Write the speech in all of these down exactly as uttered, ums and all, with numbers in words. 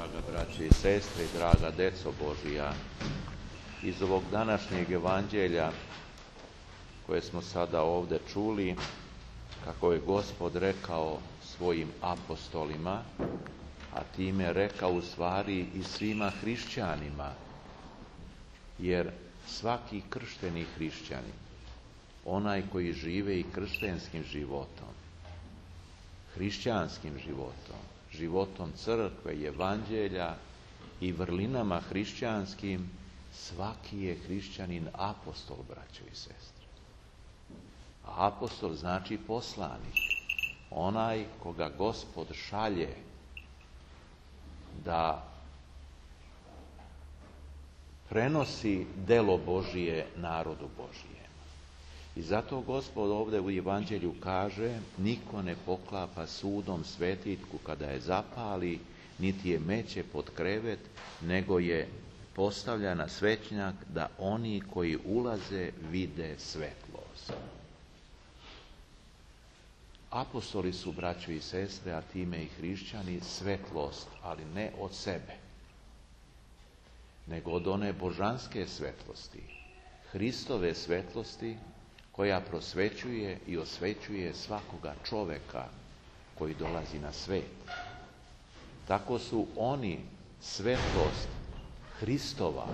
Draga braće i sestre, draga deco Božija, iz ovog današnjeg evanđelja koje smo sada ovdje čuli, kako je Gospod rekao svojim apostolima, a time rekao u stvari i svima hrišćanima, jer svaki kršteni hrišćanin, onaj koji žive i kršćanskim životom, hrišćanskim životom, životom crkve i evanđelja i vrlinama hrišćanskim, svaki je hrišćanin apostol, braćo i sestre. A apostol znači poslanik, onaj koga Gospod šalje da prenosi delo Božije narodu Božijem. I zato Gospod ovdje u evanđelju kaže: niko ne poklapa sudom svetiljku kada je zapali, niti je meće pod krevet, nego je postavlja na svećnjak, da oni koji ulaze vide svetlost. Apostoli su, braćo i sestre, a time i hrišćani, svetlost, ali ne od sebe, nego od one božanske svetlosti, Hristove svetlosti, koja prosvećuje i osvećuje svakoga čoveka koji dolazi na svet. Tako su oni svetlost Hristova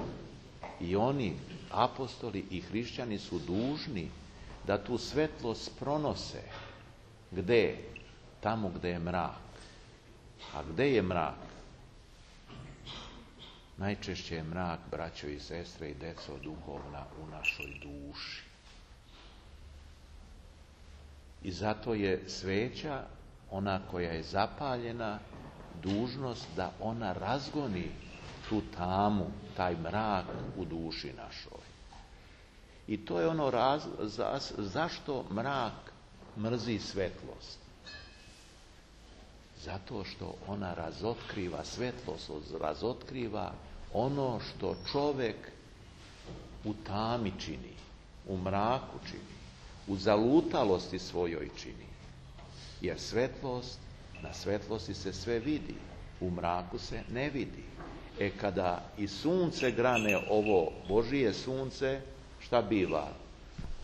i oni, apostoli i hrišćani, su dužni da tu svetlost pronose. Gde? Tamo gde je mrak. A gde je mrak? Najčešće je mrak, braćo i sestre i deco duhovna, u našoj duši. I zato je sveća, ona koja je zapaljena, dužnost da ona razgoni tu tamu, taj mrak u duši našoj. I to je ono raz, za, zašto mrak mrzi svetlost. Zato što ona razotkriva, svetlost razotkriva ono što čovek u tami čini, u mraku čini, u zalutalosti svojoj čini. Jer svetlost, na svetlosti se sve vidi, u mraku se ne vidi. E kada i sunce grane, ovo Božije sunce, šta biva?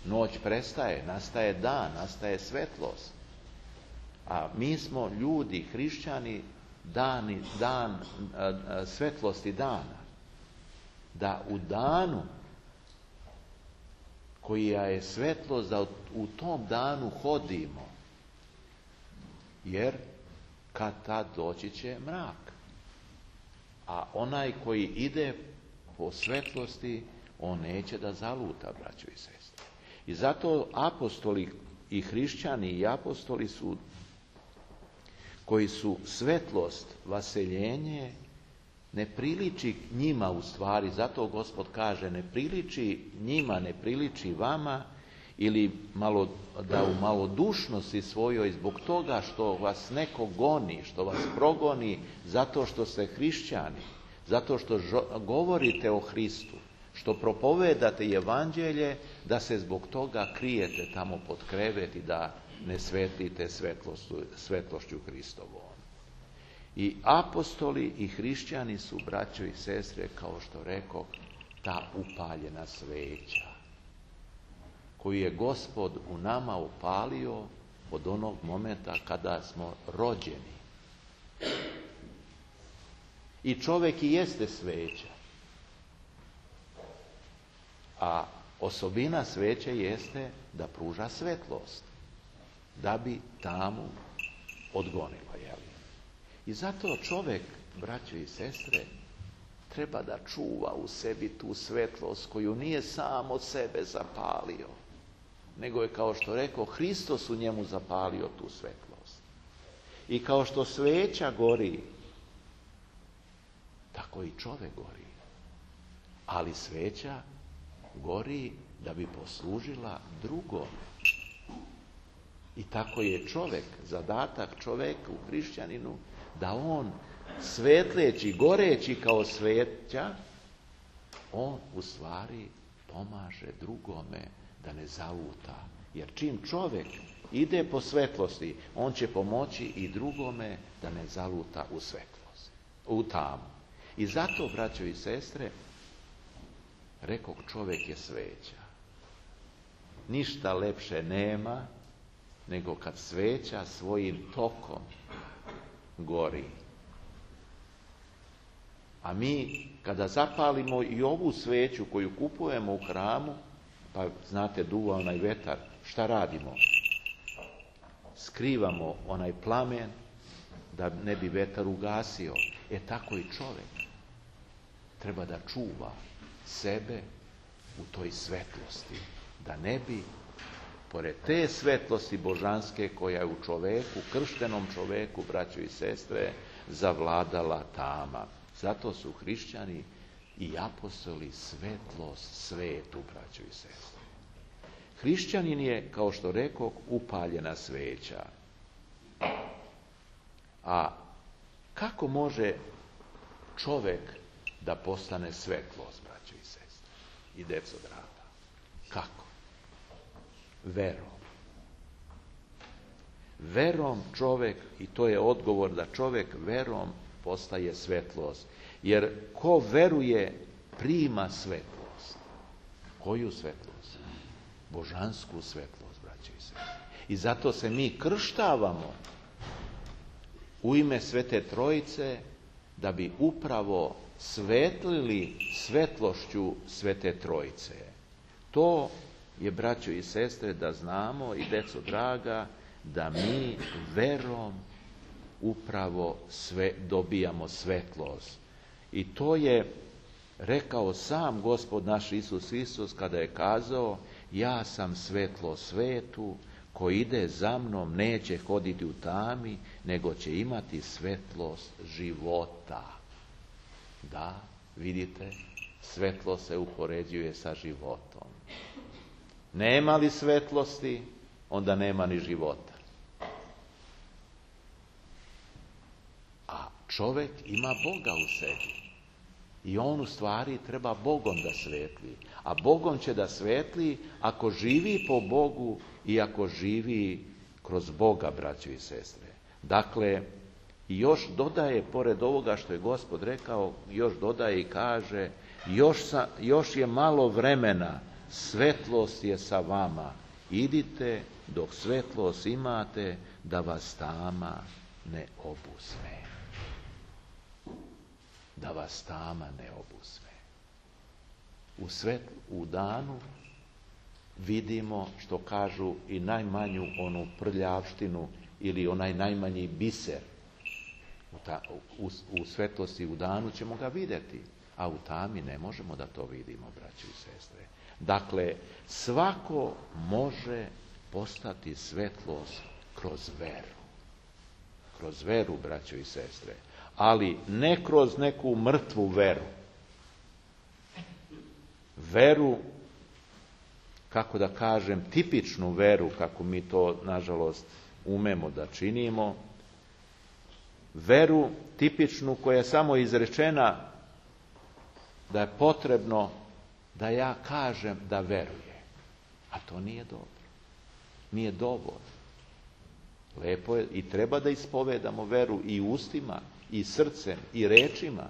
Noć prestaje, nastaje dan, nastaje svetlost. A mi smo ljudi, hrišćani, dani, dan, svetlosti dana. Da u danu koja je svetlost, da u tom danu hodimo. Jer kad tad doći će mrak. A onaj koji ide po svetlosti, on neće da zaluta, braćo i sestre. I zato apostoli i hrišćani i apostoli su, koji su svetlost, vaseljenje, ne priliči njima u stvari, zato Gospod kaže: ne priliči njima, ne priliči vama, ili malo, da u malodušnosti svojoj, zbog toga što vas neko goni, što vas progoni, zato što ste hrišćani, zato što žo- govorite o Hristu, što propovedate evanđelje, da se zbog toga krijete tamo pod krevet i da ne svetlite svetlošću Hristovom. I apostoli i hrišćani su, braćo i sestre, kao što rekoh, ta upaljena sveća koju je Gospod u nama upalio od onog momenta kada smo rođeni. I čovjek i jeste sveća. A osobina sveće jeste da pruža svetlost, da bi tamu odgonila. Jel? I zato čovjek, braćo i sestre, treba da čuva u sebi tu svetlost koju nije sam od sebe zapalio, nego je, kao što rekao, Hristos u njemu zapalio tu svetlost. I kao što sveća gori, tako i čovjek gori. Ali sveća gori da bi poslužila drugome. I tako je čovjek, zadatak čovjeka u hrišćaninu, da on, svetleći, goreći kao sveća, on u stvari pomaže drugome da ne zaluta. Jer čim čovjek ide po svetlosti, on će pomoći i drugome da ne zaluta u svetlost. u tamu. I zato, braćo i sestre, rekog čovjek je sveća. Ništa lepše nema nego kad sveća svojim tokom gori. A mi kada zapalimo i ovu sveću koju kupujemo u hramu, pa znate duva onaj vetar, šta radimo? Skrivamo onaj plamen da ne bi vetar ugasio. E tako i čovjek treba da čuva sebe u toj svetlosti, da ne bi pored te svetlosti božanske koja je u čoveku, krštenom čoveku, braćo i sestre, zavladala tama. Zato su hrišćani i apostoli svetlost svetu, braćo i sestre. Hrišćanin je, kao što rekoh, upaljena sveća. A kako može čovek da postane svetlost, braćo i sestre i deco draga? Kako? Verom. Verom čovek, i to je odgovor da čovek verom postaje svetlost. Jer ko veruje, prima svetlost. Koju svetlost? Božansku svetlost, braćo i sestre. I zato se mi krštavamo u ime Svete Trojice, da bi upravo svetlili svetlošću Svete Trojice. To je, braćo i sestre, da znamo, i deco draga, da mi verom upravo sve dobijamo svetlost. I to je rekao sam Gospod naš Isus Isus kada je kazao: ja sam svetlo svetu, ko ide za mnom neće hoditi u tami, nego će imati svetlost života. Da, vidite, svetlo se upoređuje sa životom. Nema li svetlosti, onda nema ni života. A čovjek ima Boga u sebi. I on u stvari treba Bogom da svetli. A Bogom će da svetli ako živi po Bogu i ako živi kroz Boga, braćo i sestre. Dakle, i još dodaje, pored ovoga što je Gospod rekao, još dodaje i kaže: još, sa, još je malo vremena, svetlost je sa vama. Idite dok svetlost imate, da vas tama ne obuzme. Da vas tama ne obuzme. U svetlu, u danu vidimo, što kažu, i najmanju onu prljavštinu ili onaj najmanji biser. U, ta, u, u svetlosti u danu ćemo ga vidjeti, a u tami ne možemo da to vidimo, braćo i sestre. Dakle, svako može postati svetlost kroz veru. Kroz veru, braćo i sestre. Ali ne kroz neku mrtvu veru. Veru, kako da kažem, tipičnu veru, kako mi to, nažalost, umemo da činimo. Veru tipičnu koja je samo izrečena da je potrebno da ja kažem da veruje. A to nije dobro. Nije dovoljno. Lepo je i treba da ispovedamo veru i ustima, i srcem, i rečima,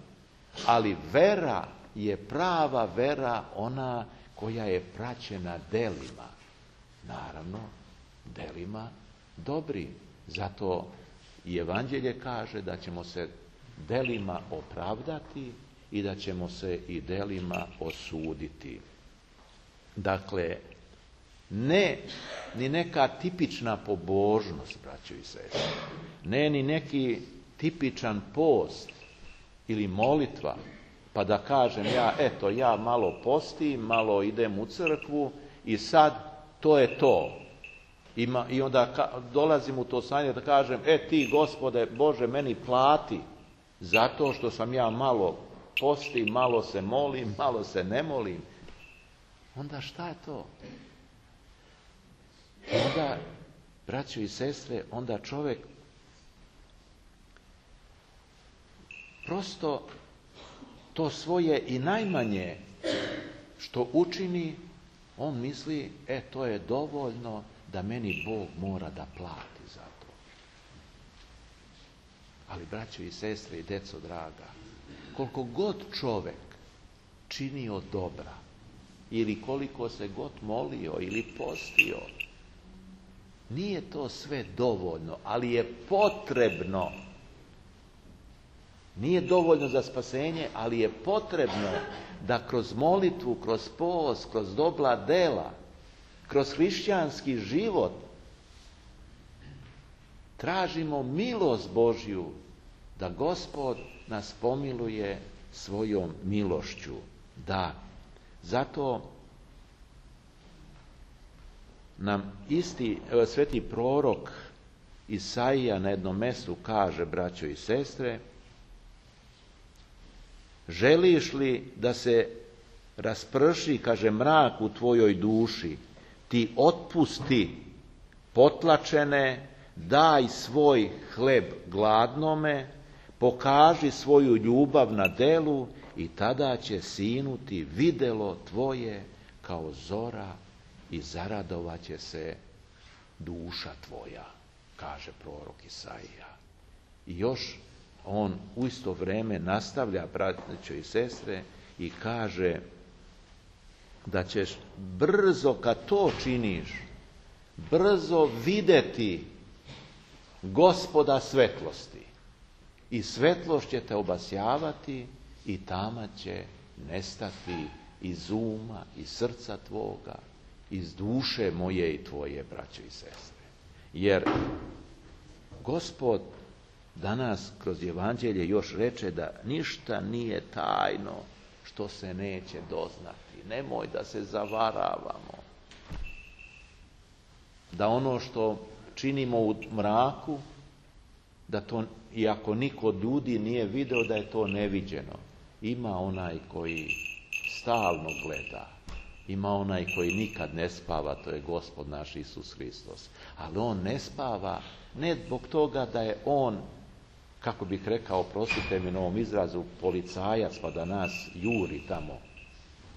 ali vera je prava vera, ona koja je praćena delima. Naravno, delima dobrim. Zato i Evanđelje kaže da ćemo se delima opravdati i da ćemo se i delima osuditi. Dakle, ne ni neka tipična pobožnost, braćo i sestre, ne ni neki tipičan post ili molitva, pa da kažem ja, eto, ja malo postim, malo idem u crkvu i sad to je to. Ima, i onda ka, dolazim u to stanje da kažem, e ti, Gospode Bože, meni plati zato što sam ja malo postim, malo se molim, malo se ne molim. Onda šta je to? Onda, braćo i sestre, onda čovjek prosto to svoje i najmanje što učini, on misli, e to je dovoljno da meni Bog mora da plati za to. Ali, braćo i sestre i deco draga, koliko god čovjek činio dobra, ili koliko se god molio ili postio, nije to sve dovoljno, ali je potrebno. Nije dovoljno za spasenje, ali je potrebno da kroz molitvu, kroz post, kroz dobra dela, kroz hrišćanski život tražimo milost Božju, da Gospod nas pomiluje svojom milošću. Da, zato nam isti evo, sveti prorok Isaija na jednom mjestu kaže, braćo i sestre, želiš li da se rasprši, kaže, mrak u tvojoj duši, ti otpusti potlačene, daj svoj hleb gladnome, pokaži svoju ljubav na delu i tada će sinuti videlo tvoje kao zora i zaradovat će se duša tvoja, kaže prorok Isaija. I još on u isto vrijeme nastavlja, braćo i sestre, i kaže da ćeš brzo, kad to činiš, brzo vidjeti Gospoda svetlosti. I svetlost će te obasjavati i tama će nestati iz uma, iz srca tvoga, iz duše moje i tvoje, braćo i sestre. Jer Gospod danas kroz evanđelje još reče da ništa nije tajno što se neće doznati. Nemoj da se zavaravamo. Da ono što činimo u mraku, da to, iako niko od ljudi nije video, da je to neviđeno. Ima onaj koji stalno gleda. Ima onaj koji nikad ne spava, to je Gospod naš Isus Hristos. Ali on ne spava ne zbog toga da je on, kako bih rekao, prostite mi na ovom izrazu, policajac pa da nas juri tamo,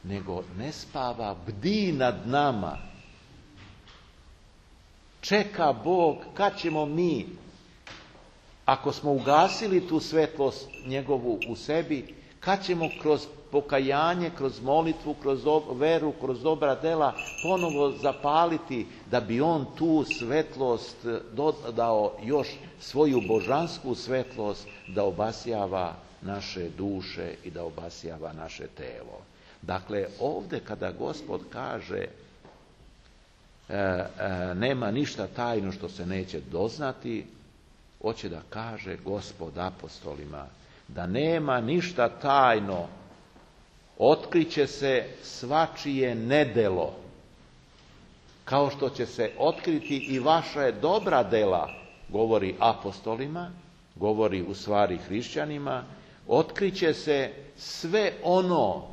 nego ne spava, bdi nad nama. Čeka Bog kad ćemo mi, ako smo ugasili tu svetlost njegovu u sebi, kad ćemo kroz pokajanje, kroz molitvu, kroz veru, kroz dobra dela ponovo zapaliti, da bi on tu svetlost dodao još svoju božansku svetlost, da obasjava naše duše i da obasjava naše telo. Dakle, ovdje kada Gospod kaže e, e, nema ništa tajno što se neće doznati, hoće da kaže Gospod apostolima da nema ništa tajno, otkriće se svačije nedelo, kao što će se otkriti i vaša dobra dela, govori apostolima, govori u stvari hrišćanima, otkriće se sve ono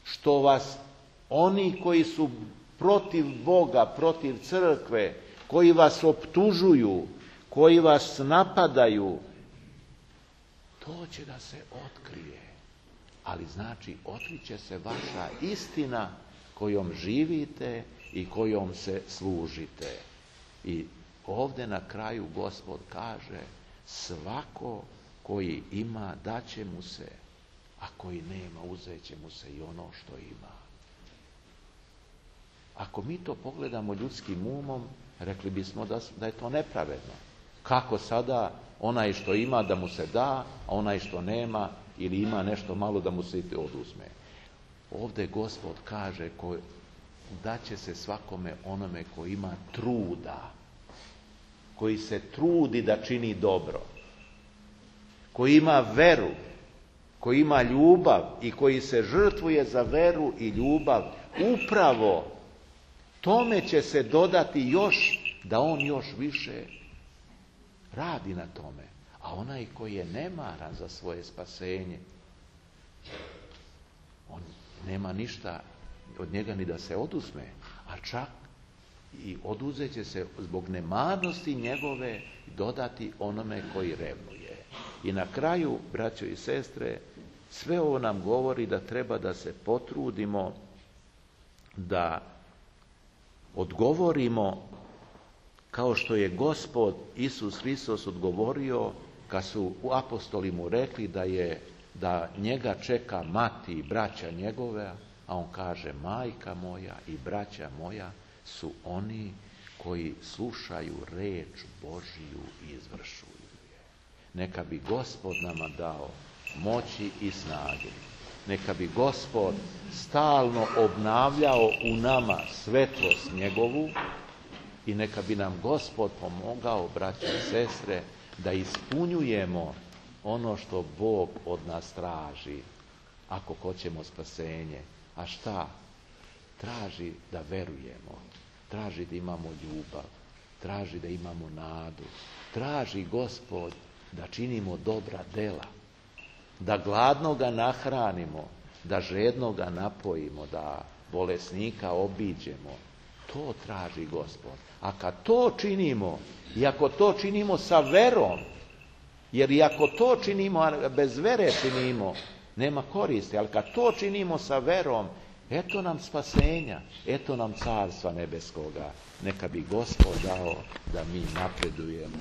što vas, oni koji su protiv Boga, protiv crkve, koji vas optužuju, koji vas napadaju, to će da se otkrije. Ali znači, otkriće se vaša istina kojom živite i kojom se služite. I ovdje na kraju Gospod kaže, svako koji ima, daće mu se, a koji nema, uzet će mu se i ono što ima. Ako mi to pogledamo ljudskim umom, rekli bismo da, da je to nepravedno. Kako sada onaj što ima da mu se da, a onaj što nema ili ima nešto malo da mu se oduzme. Ovdje Gospod kaže da će se svakome onome koji ima truda, koji se trudi da čini dobro, koji ima veru, koji ima ljubav i koji se žrtvuje za veru i ljubav, upravo tome će se dodati još, da on još više radi na tome. A onaj koji je nemaran za svoje spasenje, on nema ništa od njega ni da se oduzme, a čak i oduzet će se zbog nemarnosti njegove dodati onome koji revnuje. I na kraju, braćo i sestre, sve ovo nam govori da treba da se potrudimo da odgovorimo kao što je Gospod Isus Hristos odgovorio kad su apostoli mu rekli da je da njega čeka mati i braća njegove, a on kaže majka moja i braća moja su oni koji slušaju reč Božiju i izvršuju je. Neka bi Gospod nama dao moći i snage. Neka bi Gospod stalno obnavljao u nama svetlost njegovu i neka bi nam Gospod pomogao, braće i sestre, da ispunjujemo ono što Bog od nas traži, ako hoćemo spasenje. A šta? Traži da verujemo, traži da imamo ljubav, traži da imamo nadu, traži Gospod da činimo dobra dela, da gladnoga nahranimo, da žednoga napojimo, da bolesnika obiđemo. To traži Gospod. A kad to činimo, i ako to činimo sa verom, jer i ako to činimo, a bez vere činimo, nema koristi, ali kad to činimo sa verom, eto nam spasenja, eto nam carstva nebeskoga. Neka bi Gospod dao da mi napredujemo.